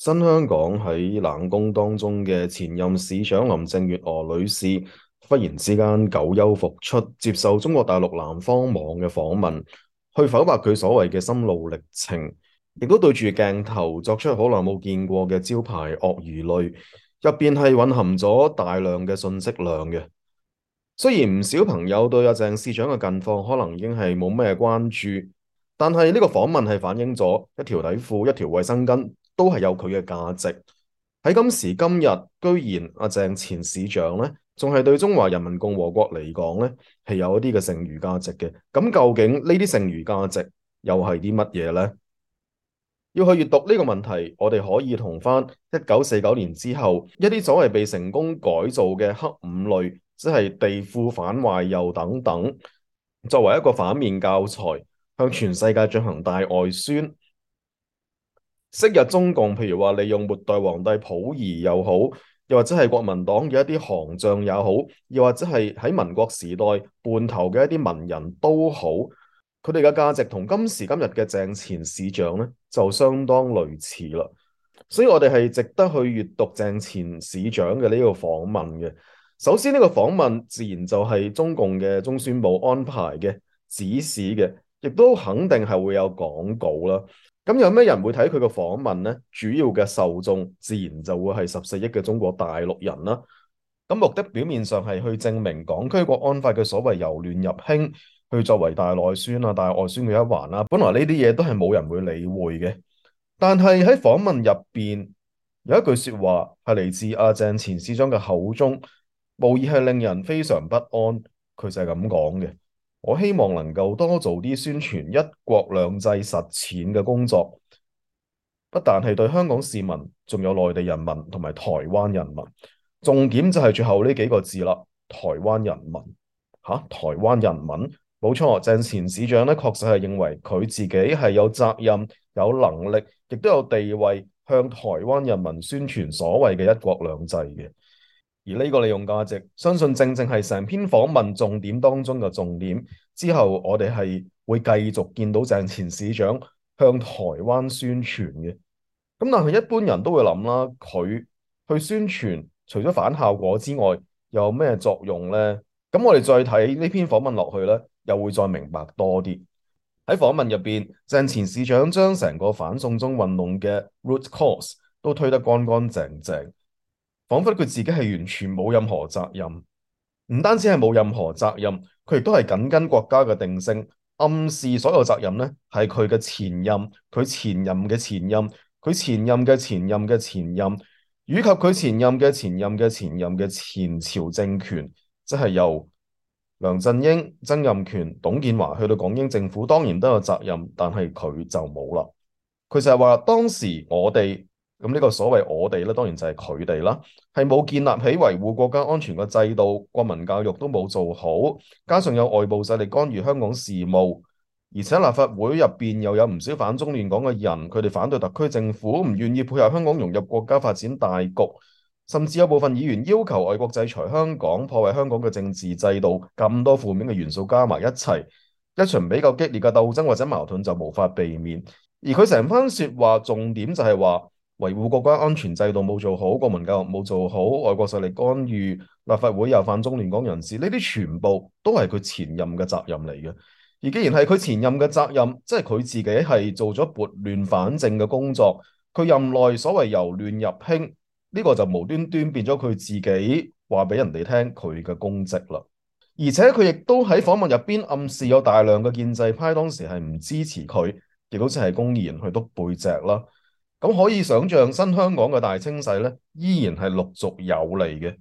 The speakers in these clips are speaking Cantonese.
新香港喺冷宮當中嘅前任市長林鄭月娥女士，忽然之間久休復出，接受中國大陸南方網嘅訪問，去剖白佢所謂嘅心路歷程，亦都對住鏡頭作出好耐冇見過嘅招牌鱷魚淚，入邊係蘊含咗大量嘅信息量嘅。雖然唔少朋友對阿鄭市長嘅近況可能已經係冇咩關注，但係呢個訪問係反映咗一條底褲、一條衛生巾都係有佢嘅價值。喺今時今日，居然阿鄭前市長呢，仲係對中華人民共和國嚟講呢，係有一啲嘅剩餘價值嘅。咁究竟呢啲剩餘價值又係啲乜嘢呢？要去閱讀呢個問題，我哋可以同翻1949年之後一啲所謂被成功改造嘅黑五類，即係地庫反壞右等等，作為一個反面教材，向全世界進行大外宣。昔日中共，譬如話利用末代皇帝溥儀又好，又或者係國民黨嘅一啲行將也好，又或者係喺民國時代叛頭嘅一啲文人都好，佢哋嘅價值同今時今日嘅鄭前市長咧就相當類似啦。所以我哋係值得去閱讀鄭前市長嘅呢個訪問嘅。首先呢個訪問自然就係中共嘅中宣部安排嘅指使嘅，亦都肯定係會有廣告啦。咁有咩人會睇佢個訪問呢？主要嘅受眾自然就會係14億嘅中國大陸人啦。咁目的表面上係去證明港區國安法嘅所謂由亂入興，去作為大內宣啊、大外宣嘅一環啦。本來呢啲嘢都係冇人會理會嘅，但係喺訪問入邊有一句說話係嚟自阿鄭前市長嘅口中，無疑係令人非常不安。佢就係咁講嘅。我希望能夠多做啲宣傳一國兩制實踐嘅工作，不但係對香港市民，仲有內地人民同埋台灣人民。重點就係最後呢幾個字啦，台灣人民。台灣人民，冇錯，鄭前市長咧確實係認為佢自己係有責任、有能力，亦都有地位向台灣人民宣傳所謂嘅一國兩制嘅。而呢個利用價值，相信正正係成篇訪問重點當中嘅重點。之後我哋係會繼續見到鄭前市長向台灣宣傳嘅。咁但係一般人都會諗啦，佢去宣傳除咗反效果之外，又有咩作用呢？咁我哋再睇呢篇訪問落去呢，又會再明白多啲。喺訪問入邊，鄭前市長將成個反送中運動嘅 root cause 都推得乾乾淨淨。彷彿佢自己係完全冇任何責任，唔單止係冇任何責任，佢亦都係緊跟國家嘅定性，暗示所有責任呢係佢嘅前任、佢前任嘅前任、佢前任嘅前任嘅前任，以及佢前任嘅前任嘅前任嘅前朝政權，即係由梁振英、曾蔭權、董建華去到港英政府，當然都有責任，但係佢就冇啦。佢就係話當時我哋。咁呢個所謂我哋咧，當然就係佢哋啦，係冇建立起維護國家安全嘅制度，國民教育都冇做好，加上有外部勢力干預香港事務，而且立法會入邊又有唔少反中亂港嘅人，佢哋反對特區政府，唔願意配合香港融入國家發展大局，甚至有部分議員要求外國制裁香港，破壞香港嘅政治制度，咁多負面嘅元素加埋一齊，一場比較激烈嘅鬥爭或者矛盾就無法避免。而佢成番說話重點就係話，維護國家安全制度冇做好，國民教育冇做好，外國勢力干預，立法會又反中亂港人士，呢啲全部都係佢前任嘅責任嚟嘅。而既然係佢前任嘅責任，即係佢自己係做咗撥亂反正嘅工作，佢任內所謂由亂入興，呢個就無端端變咗佢自己話俾人哋聽佢嘅功績啦。而且佢亦都喺訪問入邊暗示有大量嘅建制派當時係唔支持佢，亦都即係公然去督背脊啦。咁可以想象新香港嘅大清洗咧，依然係陸續有嚟嘅。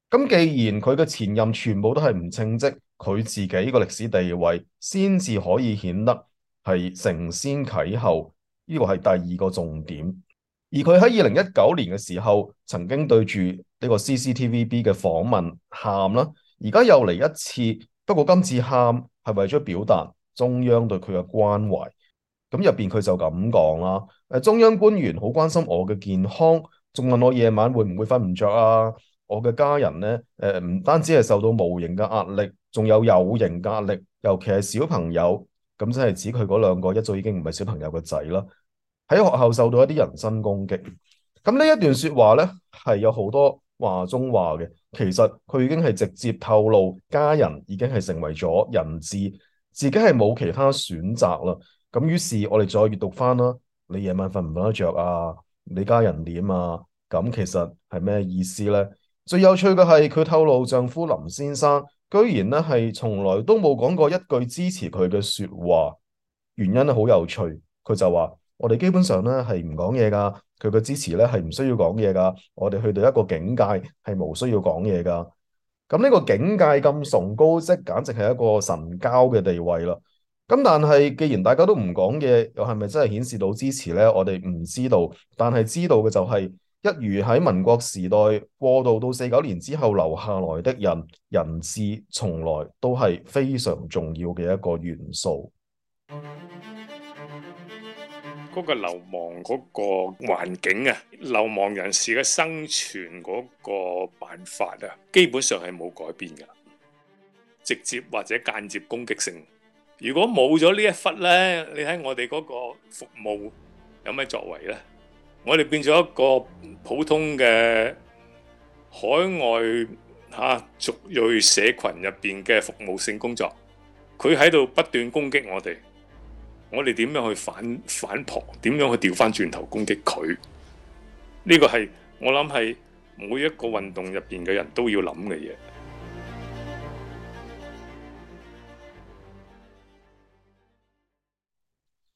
咁既然佢嘅前任全部都係唔稱職，佢自己個歷史地位先至可以顯得係承先啟後，呢個係第二個重點。而佢喺2019年嘅時候，曾經對住呢個 CCTVB 嘅訪問喊啦，而家又嚟一次，不過今次喊係為咗表達中央對佢嘅關懷。咁入邊佢就咁講啦，中央官員好關心我嘅健康，仲問我夜晚會唔會瞓唔着啊？我嘅家人呢，唔單止係受到無形嘅壓力，仲有形嘅壓力，尤其係小朋友，咁即係指佢嗰兩個一早已經唔係小朋友嘅仔啦，喺學校受到一啲人身攻擊。咁呢一段説話呢，係有好多話中話嘅。其實佢已經係直接透露家人已經係成為咗人質，自己係冇其他選擇啦。咁於是我哋再閱讀翻啦，你夜晚瞓唔瞓得着啊？你家人點啊？咁其實係咩意思呢？最有趣嘅係佢透露丈夫林先生居然呢係從來都冇講過一句支持佢嘅説話，原因咧好有趣，佢就話我哋基本上咧係唔講嘢噶，佢嘅支持咧係唔需要講嘢噶，我哋去到一個境界係無需要講嘢噶。咁呢個境界咁崇高，即簡直係一個神交嘅地位啦。咁但係既然大家都唔講嘢，又係咪真係顯示到支持呢？我哋唔知道，但係知道嘅就係、一如喺民國時代過渡到49年之後留下來的人，人質從來都係非常重要嘅一個元素。嗰個流亡嗰個環境啊，流亡人士嘅生存嗰個辦法啊，基本上係冇改變㗎，直接或者間接攻擊性。如果冇咗呢一忽呢，你睇我哋嗰個服務有咩作為呢？我哋變咗一個普通嘅海外族裔社群入邊嘅服務性工作，佢喺度不斷攻擊我哋。我哋點樣去反撲？點樣去調翻轉頭攻擊佢？呢個係我諗係每一個運動入邊嘅人都要諗嘅嘢。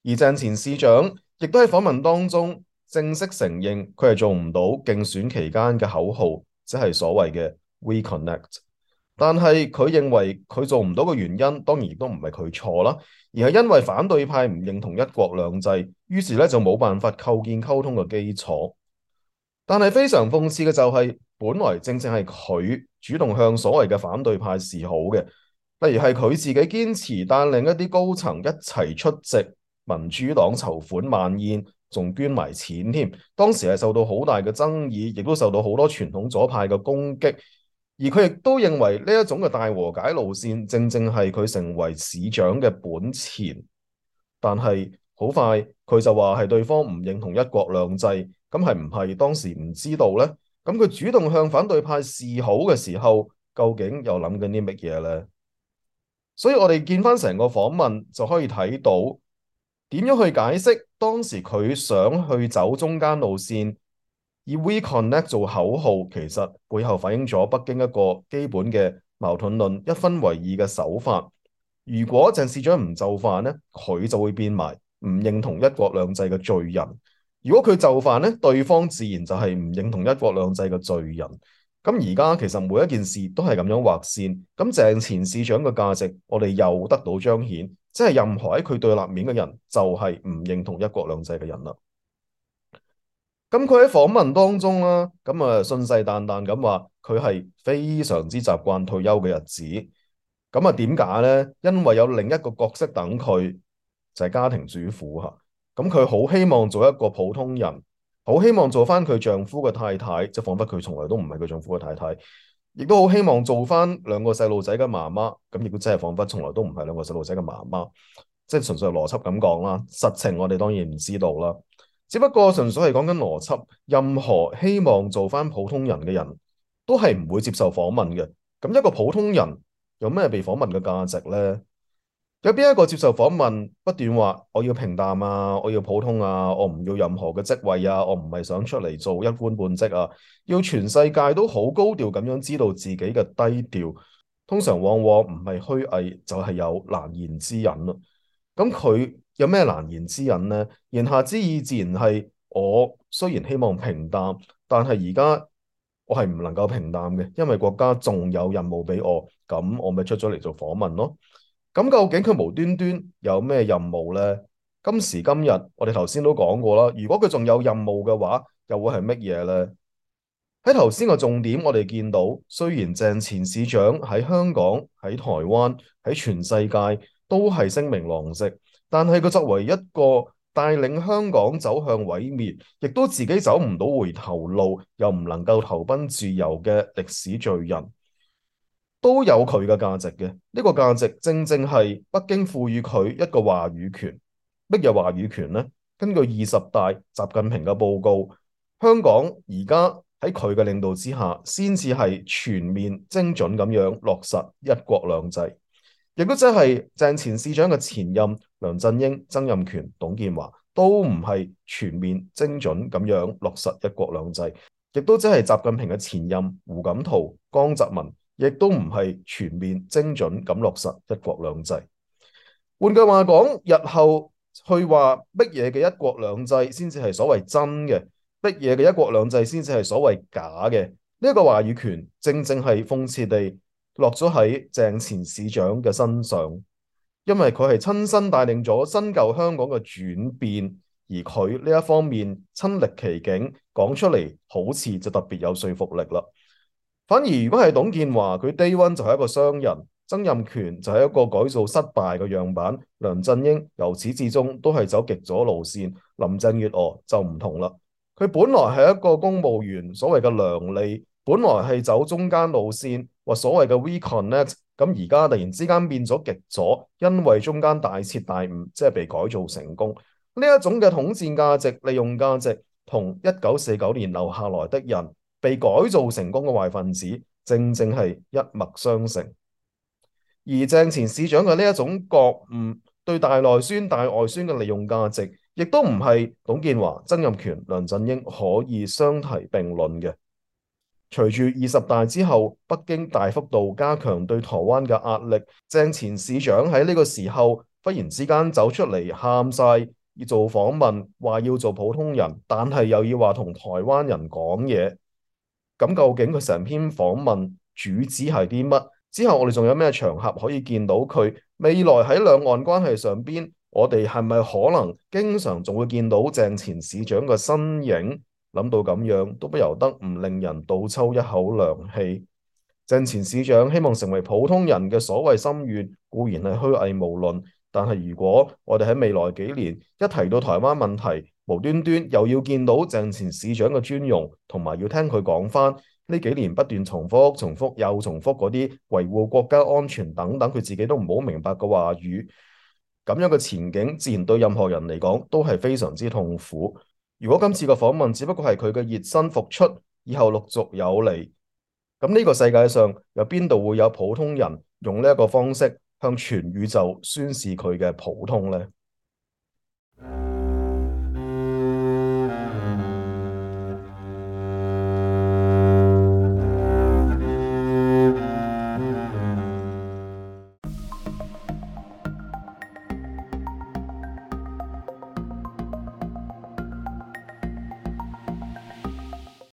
而鄭前市長亦都喺訪問當中正式承認佢係做唔到競選期間嘅口號，即係所謂嘅 We Connect。但係佢認為佢做唔到嘅原因，當然亦都唔係佢錯啦，而係因為反對派唔認同一國兩制，於是咧就冇辦法構建溝通嘅基礎。但係非常諷刺嘅就係，本來正正係佢主動向所謂嘅反對派示好嘅，例如係佢自己堅持帶領一啲高層一齊出席民主黨籌款晚宴，仲捐埋錢添。當時係受到好大嘅爭議，亦都受到好多傳統左派嘅攻擊。而佢亦都認為呢一種嘅大和解路線，正正係佢成為市長嘅本錢。但係好快佢就話係對方唔認同一國兩制，咁係唔係當時唔知道呢？咁佢主動向反對派示好嘅時候，究竟又諗緊啲乜嘢呢？所以我哋見翻成個訪問就可以睇到點樣去解釋當時佢想去走中間路線，以 We Connect 做口號，其實背後反映咗北京一個基本嘅矛盾論，一分為二嘅手法。如果鄭市長唔就範呢，佢就會變埋唔認同一國兩制嘅罪人；如果佢就範呢，對方自然就係唔認同一國兩制嘅罪人。咁而家其實每一件事都係咁樣劃線。咁鄭前市長嘅價值，我哋又得到彰顯，即係任何喺佢對立面嘅人，就係唔認同一國兩制嘅人啦。咁佢喺訪問當中啦，咁信誓旦旦咁話佢係非常之習慣退休嘅日子。咁點解呢？因為有另一個角色等佢，就係家庭主婦嚇。咁佢好希望做一個普通人，好希望做翻佢丈夫嘅太太，即係彷彿佢從來都唔係佢丈夫嘅太太，亦都好希望做翻兩個細路仔嘅媽媽。咁亦都真係彷彿從來都唔係兩個細路仔嘅媽媽，即係純粹係邏輯咁講啦。實情我哋當然唔知道啦。只不過純粹係講緊邏輯，任何希望做翻普通人嘅人都係唔會接受訪問嘅。咁一個普通人有咩被訪問嘅價值呢？有邊一個接受訪問不斷話我要平淡啊，我要普通啊，我唔要任何嘅職位啊，我唔係想出嚟做一官半職啊，要全世界都好高調咁樣知道自己嘅低調，通常往往唔係虛偽就係有難言之隱咯。咁佢有咩難言之隱呢？言下之意自然係我雖然希望平淡，但係而家我係唔能夠平淡嘅，因為國家仲有任務俾我，咁我咪出咗嚟做訪問咯。咁究竟佢無端端有咩任務呢？今時今日我哋頭先都講過啦，如果佢仲有任務嘅話，又會係乜嘢呢？喺頭先個重點，我哋見到雖然鄭前市長喺香港、喺台灣、喺全世界都係聲名狼藉，但係佢作為一個帶領香港走向毀滅，亦都自己走唔到回頭路，又唔能夠投奔自由嘅歷史罪人，都有佢嘅價值嘅。呢個價值正正係北京賦予佢一個話語權。乜嘢話語權呢？根據20大習近平嘅報告，香港而家喺佢嘅領導之下，先至係全面精準咁樣落實一國兩制，亦都即係鄭前市長嘅前任梁振英、曾蔭權、董建華都唔係全面精準咁樣落實一國兩制，亦都即係習近平嘅前任胡錦濤、江澤民，亦都唔係全面精準咁落實一國兩制。換句話講，日後去話乜嘢嘅一國兩制先至係所謂真嘅，乜嘢嘅一國兩制先至係所謂假嘅，呢一個話語權正正係諷刺地落咗喺鄭前市長嘅身上，因為佢係親身帶領咗新舊香港嘅轉變，而佢呢一方面親歷其境講出嚟，好似就特別有說服力啦。反而如果係董建華，佢 day one 就係一個商人，曾蔭權就係一個改造失敗嘅樣板，梁振英由始至終都係走極左路線，林鄭月娥就唔同啦。佢本來係一個公務員，所謂嘅良利，本來係走中間路線，或所謂嘅 We Connect，咁而家突然之間變咗極左，因為中間大徹大悟，即係被改造成功。呢一種嘅統戰價值、利用價值，同1949年留下來的人被改造成功嘅壞分子，正正係一脈相承。而鄭前市長嘅呢一種覺悟，對大內宣、大外宣嘅利用價值，亦都唔係董建華、曾蔭權、梁振英可以相提並論嘅。隨住20大之後，北京大幅度加強對台灣嘅壓力，鄭前市長喺呢個時候忽然之間走出嚟喊晒，要做訪問，話要做普通人，但係又要話同台灣人講嘢。咁究竟佢成篇訪問主旨係啲乜？之後我哋仲有咩場合可以見到佢？未來喺兩岸關係上邊，我哋係咪可能經常仲會見到鄭前市長嘅身影？諗到咁樣，都不由得唔令人倒抽一口涼氣。鄭前市長希望成為普通人嘅所謂心願，固然係虛偽無論。但係如果我哋喺未來幾年一提到台灣問題，無端端又要見到鄭前市長嘅尊容，同埋要聽佢講翻呢幾年不斷重複、重複又重複嗰啲維護國家安全等等，佢自己都唔好明白嘅話語，咁樣嘅前景，自然對任何人嚟講都係非常之痛苦。如果今次嘅訪問只不過係佢嘅熱身復出，以後陸續有嚟，咁呢個世界上有邊度會有普通人用呢一個方式向全宇宙宣示佢嘅普通呢？